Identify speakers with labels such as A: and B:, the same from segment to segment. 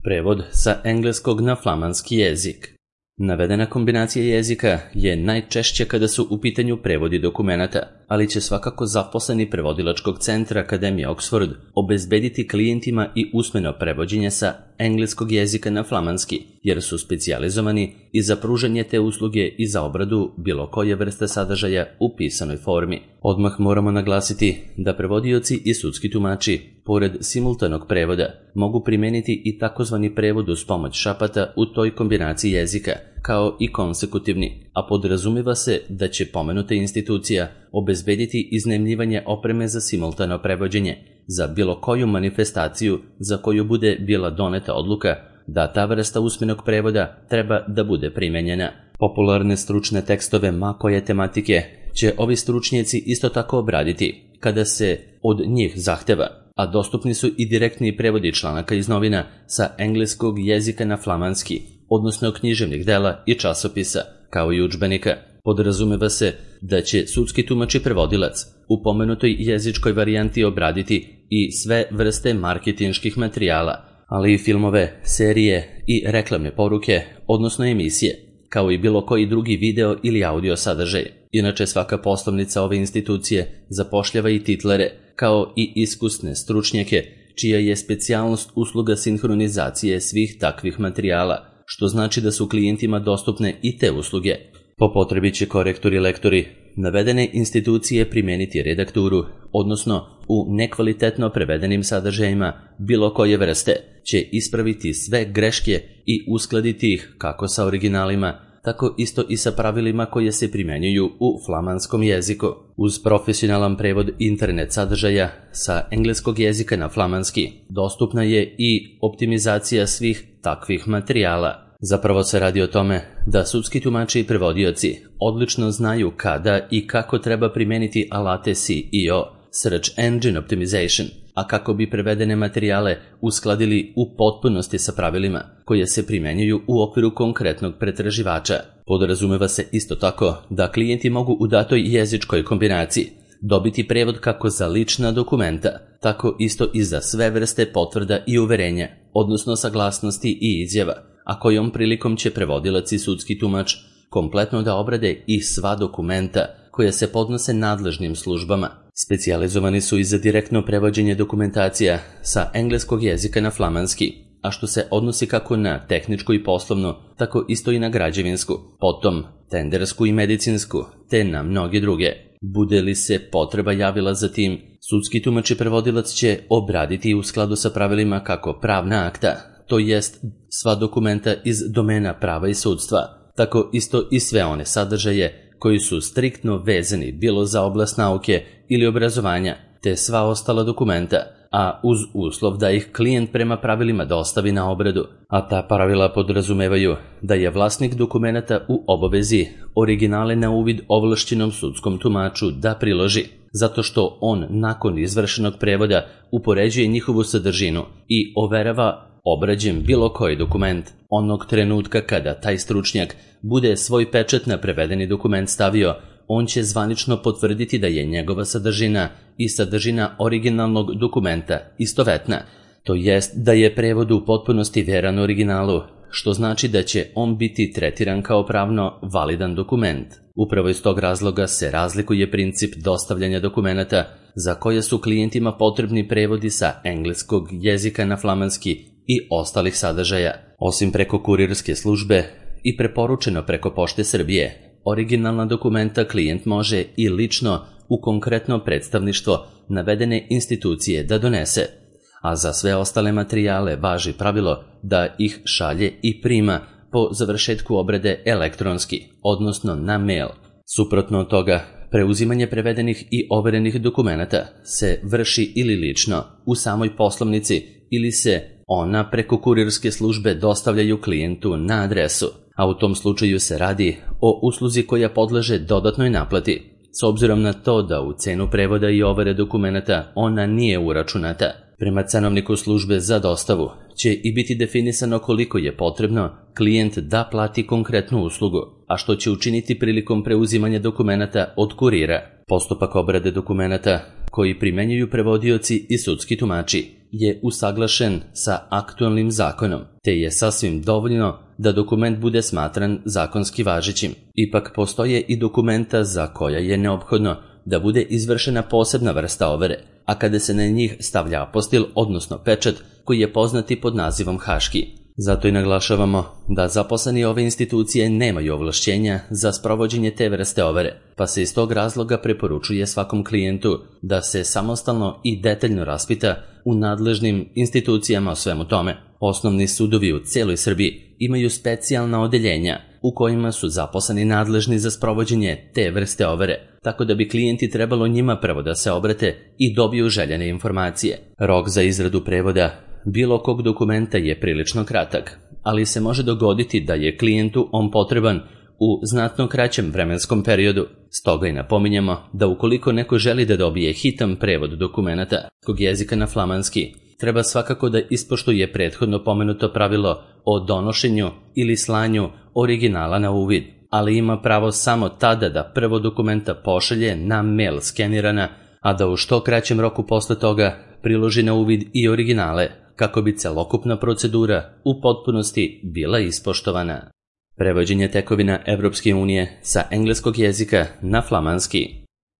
A: Prevod sa engleskog na flamanski jezik. Navedena kombinacija jezika je najčešće kada su u pitanju prevodi dokumenata, ali će svakako zaposleni prevodilačkog centra Akademije Oxford obezbediti klijentima i usmeno prevođenje sa engleskog jezika na flamanski, jer su specijalizovani i za pružanje te usluge i za obradu bilo koje vrste sadržaja u pisanoj formi. Odmah moramo naglasiti da prevodioci i sudski tumači, pored simultanog prevoda, mogu primeniti i takozvani prevod uz pomoć šapata u toj kombinaciji jezika, kao i konsekutivni, a podrazumiva se da će pomenuta institucija obezbediti iznajmljivanje opreme za simultano prevođenje, za bilo koju manifestaciju za koju bude bila doneta odluka da ta vrsta usmenog prevoda treba da bude primenjena. Popularne stručne tekstove ma koje tematike će ovi stručnjaci isto tako obraditi kada se od njih zahteva, a dostupni su i direktni prevodi članaka iz novina sa engleskog jezika na flamanski, odnosno književnih dela i časopisa, kao i udžbenika. Podrazumeva se da će sudski tumač i prevodilac u pomenutoj jezičkoj varijanti obraditi i sve vrste marketinških materijala, ali i filmove, serije i reklamne poruke, odnosno emisije, kao i bilo koji drugi video ili audio sadržaj. Inače, svaka poslovnica ove institucije zapošljava i titlere, kao i iskusne stručnjake, čija je specijalnost usluga sinhronizacije svih takvih materijala, što znači da su klijentima dostupne i te usluge. Po potrebi će korektori i lektori navedene institucije primeniti redakturu, odnosno u nekvalitetno prevedenim sadržajima bilo koje vrste će ispraviti sve greške i uskladiti ih kako sa originalima, tako isto i sa pravilima koje se primenjuju u flamanskom jeziku. Uz profesionalan prevod internet sadržaja sa engleskog jezika na flamanski dostupna je i optimizacija svih takvih materijala. Zapravo se radi o tome da sudski tumači i prevodioci odlično znaju kada i kako treba primeniti alate SEO, Search Engine Optimization, a kako bi prevedene materijale uskladili u potpunosti sa pravilima koje se primenjuju u okviru konkretnog pretraživača. Podrazumeva se isto tako da klijenti mogu u datoj jezičkoj kombinaciji dobiti prevod kako za lična dokumenta, tako isto i za sve vrste potvrda i uverenja, odnosno saglasnosti i izjava, a kojom prilikom će prevodilac i sudski tumač kompletno da obrade i sva dokumenta koja se podnose nadležnim službama. Specijalizovani su i za direktno prevođenje dokumentacija sa engleskog jezika na flamanski, a što se odnosi kako na tehničku i poslovnu, tako isto i na građevinsku, potom tendersku i medicinsku, te na mnoge druge. Bude li se potreba javila za tim, sudski tumač i prevodilac će obraditi u skladu sa pravilima kako pravna akta, to jest sva dokumenta iz domena prava i sudstva, tako isto i sve one sadržaje koji su striktno vezani bilo za oblast nauke ili obrazovanja, te sva ostala dokumenta, a uz uslov da ih klijent prema pravilima dostavi na obradu, a ta pravila podrazumevaju da je vlasnik dokumenata u obavezi originale na uvid ovlašćenom sudskom tumaču da priloži, zato što on nakon izvršenog prevoda upoređuje njihovu sadržinu i overava obrađen bilo koji dokument. Onog trenutka kada taj stručnjak bude svoj pečat na prevedeni dokument stavio, on će zvanično potvrditi da je njegova sadržina i sadržina originalnog dokumenta istovetna, to jest da je prevod u potpunosti veran originalu, što znači da će on biti tretiran kao pravno validan dokument. Upravo iz tog razloga se razlikuje princip dostavljanja dokumenata za koje su klijentima potrebni prevodi sa engleskog jezika na flamanski i ostalih sadržaja. Osim preko kurirske službe i preporučeno preko Pošte Srbije, originalna dokumenta klijent može i lično u konkretno predstavništvo navedene institucije da donese, a za sve ostale materijale važi pravilo da ih šalje i prima po završetku obrade elektronski, odnosno na mail. Suprotno od toga, preuzimanje prevedenih i overenih dokumenata se vrši ili lično u samoj poslovnici ili se ona preko kurirske službe dostavljaju klijentu na adresu, a u tom slučaju se radi o usluzi koja podleže dodatnoj naplati, s obzirom na to da u cenu prevoda i overe dokumenata ona nije uračunata. Prema cenovniku službe za dostavu će i biti definisano koliko je potrebno klijent da plati konkretnu uslugu, a što će učiniti prilikom preuzimanja dokumenata od kurira. Postupak obrade dokumenata koji primenjuju prevodioci i sudski tumači je usaglašen sa aktualnim zakonom, te je sasvim dovoljno da dokument bude smatran zakonski važećim. Ipak postoje i dokumenta za koja je neophodno da bude izvršena posebna vrsta overe, a kada se na njih stavlja apostil, odnosno pečat, koji je poznati pod nazivom haški. Zato i naglašavamo da zaposleni ove institucije nemaju ovlašćenja za sprovođenje te vrste overe, pa se iz tog razloga preporučuje svakom klijentu da se samostalno i detaljno raspita u nadležnim institucijama o svemu tome. Osnovni sudovi u cijeloj Srbiji imaju specijalna odeljenja u kojima su zaposleni nadležni za sprovođenje te vrste overe, tako da bi klijenti trebalo njima prvo da se obrate i dobiju željene informacije. Rok za izradu prevoda bilo kog dokumenta je prilično kratak, ali se može dogoditi da je klijentu on potreban u znatno kraćem vremenskom periodu. Stoga i napominjemo da ukoliko neko želi da dobije hitan prevod dokumenata kog jezika na flamanski, treba svakako da ispoštuje prethodno pomenuto pravilo o donošenju ili slanju originala na uvid, ali ima pravo samo tada da prvo dokumenta pošalje na mail skenirana, a da u što kraćem roku posle toga priloži na uvid i originale, kako bi celokupna procedura u potpunosti bila ispoštovana. Prevođenje tekovina Evropske unije sa engleskog jezika na flamanski.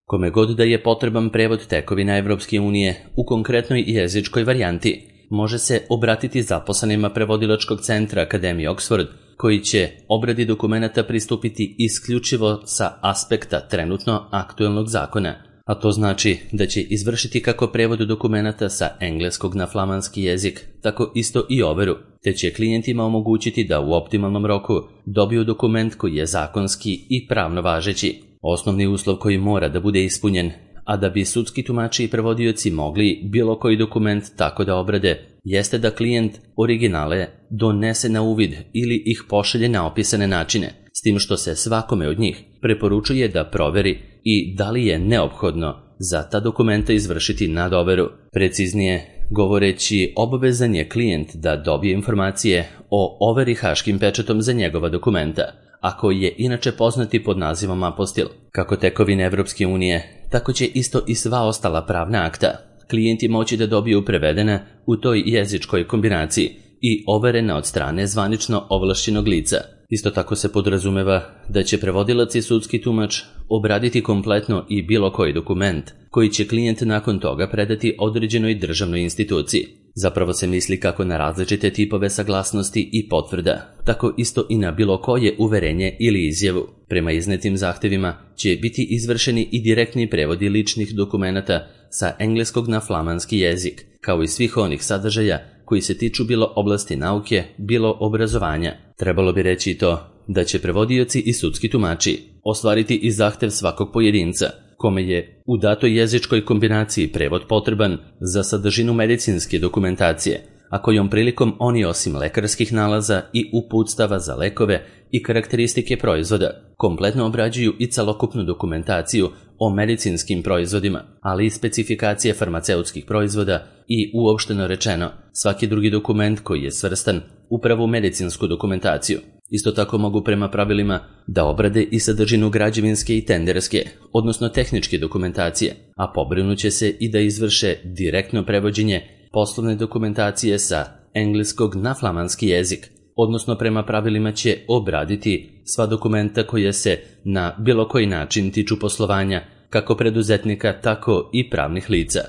A: Kome god da je potreban prevod tekovina Evropske unije u konkretnoj jezičkoj varijanti, može se obratiti zaposlenima prevodilačkog centra Akademije Oxford, koji će obradi dokumenata pristupiti isključivo sa aspekta trenutno aktuelnog zakona, a to znači da će izvršiti kako prevod dokumenata sa engleskog na flamanski jezik, tako isto i overu, te će klijentima omogućiti da u optimalnom roku dobiju dokument koji je zakonski i pravno važeći. Osnovni uslov koji mora da bude ispunjen, a da bi sudski tumači i prevodioci mogli bilo koji dokument tako da obrade, jeste da klijent originale donese na uvid ili ih pošalje na opisane načine, s tim što se svakome od njih preporučuje da proveri i da li je neophodno za ta dokumenta izvršiti nadoveru. Preciznije govoreći, obavezan je klijent da dobije informacije o overi haškim pečatom za njegova dokumenta, a koji je inače poznati pod nazivom apostil. Kako tekovine Evropske unije, tako će isto i sva ostala pravna akta klijenti moći da dobiju prevedena u toj jezičkoj kombinaciji i overena od strane zvanično ovlašćenog lica. Isto tako se podrazumeva da će prevodilac i sudski tumač obraditi kompletno i bilo koji dokument koji će klijent nakon toga predati određenoj državnoj instituciji. Zapravo se misli kako na različite tipove saglasnosti i potvrda, tako isto i na bilo koje uverenje ili izjavu. Prema iznetim zahtevima će biti izvršeni i direktni prevodi ličnih dokumenata sa engleskog na flamanski jezik, kao i svih onih sadržaja koji se tiču bilo oblasti nauke, bilo obrazovanja. Trebalo bi reći i to da će prevodioci i sudski tumači ostvariti i zahtev svakog pojedinca, kome je u datoj jezičkoj kombinaciji prevod potreban za sadržinu medicinske dokumentacije, a kojom prilikom oni osim lekarskih nalaza i uputstava za lekove i karakteristike proizvoda, kompletno obrađuju i celokupnu dokumentaciju o medicinskim proizvodima, ali i specifikacije farmaceutskih proizvoda i uopšteno rečeno svaki drugi dokument koji je svrstan upravo u medicinsku dokumentaciju. Isto tako mogu prema pravilima da obrade i sadržinu građevinske i tenderske, odnosno tehničke dokumentacije, a pobrinuće se i da izvrše direktno prevođenje poslovne dokumentacije sa engleskog na flamanski jezik, odnosno prema pravilima će obraditi sva dokumenta koja se na bilo koji način tiču poslovanja kako preduzetnika, tako i pravnih lica.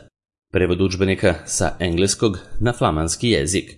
A: Prevod udžbenika sa engleskog na flamanski jezik.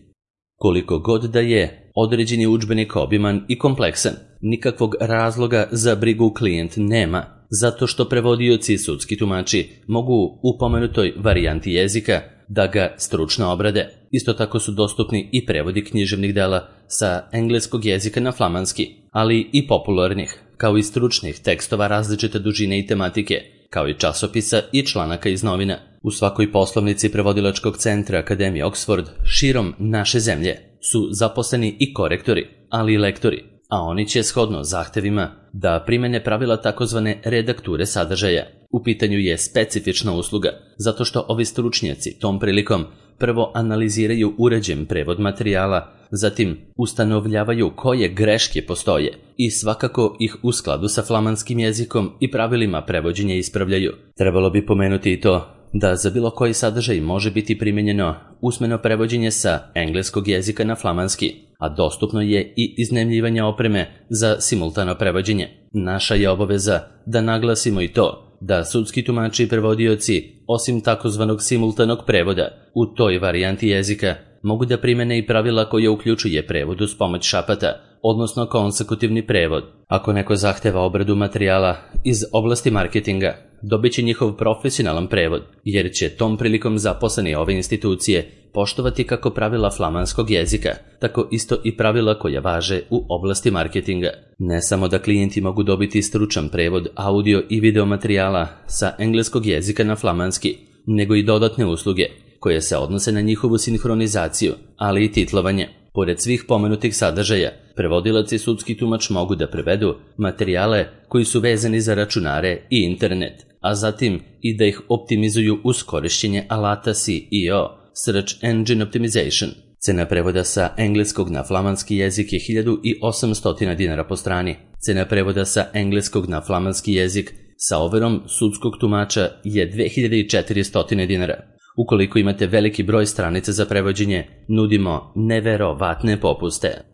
A: Koliko god da je određeni udžbenik obiman i kompleksan, nikakvog razloga za brigu klijent nema, zato što prevodioci i sudski tumači mogu u pomenutoj varijanti jezika da ga stručno obrade. Isto tako su dostupni i prevodi književnih dela sa engleskog jezika na flamanski, ali i popularnih, kao i stručnih tekstova različite dužine i tematike, kao i časopisa i članaka iz novina. U svakoj poslovnici prevodilačkog centra Akademije Oxford širom naše zemlje su zaposleni i korektori, ali i lektori, a oni će shodno zahtevima da primene pravila takozvane redakture sadržaja. U pitanju je specifična usluga, zato što ovi stručnjaci tom prilikom prvo analiziraju uređen prevod materijala, zatim ustanovljavaju koje greške postoje i svakako ih u skladu sa flamanskim jezikom i pravilima prevođenja ispravljaju. Trebalo bi pomenuti i to da za bilo koji sadržaj može biti primijenjeno usmeno prevođenje sa engleskog jezika na flamanski, a dostupno je i iznajmljivanje opreme za simultano prevođenje. Naša je obaveza da naglasimo i to da sudski tumači i prevodioci, osim takozvanog simultanog prevoda, u toj varijanti jezika mogu da primene i pravila koje uključuje prevod uz pomoć šapata, odnosno konsekutivni prevod. Ako neko zahteva obradu materijala iz oblasti marketinga, dobit će njihov profesionalan prevod, jer će tom prilikom zaposleni ove institucije poštovati kako pravila flamanskog jezika, tako isto i pravila koja važe u oblasti marketinga. Ne samo da klijenti mogu dobiti stručan prevod audio i video materijala sa engleskog jezika na flamanski, nego i dodatne usluge koje se odnose na njihovu sinhronizaciju, ali i titlovanje. Pored svih pomenutih sadržaja, prevodilac i sudski tumač mogu da prevedu materijale koji su vezani za računare i internet, a zatim i da ih optimizuju uz korišćenje alata SEO, Search Engine Optimization. Cena prevoda sa engleskog na flamanski jezik je 1800 dinara po strani. Cena prevoda sa engleskog na flamanski jezik sa overom sudskog tumača je 2400 dinara. Ukoliko imate veliki broj stranica za prevođenje, nudimo neverovatne popuste.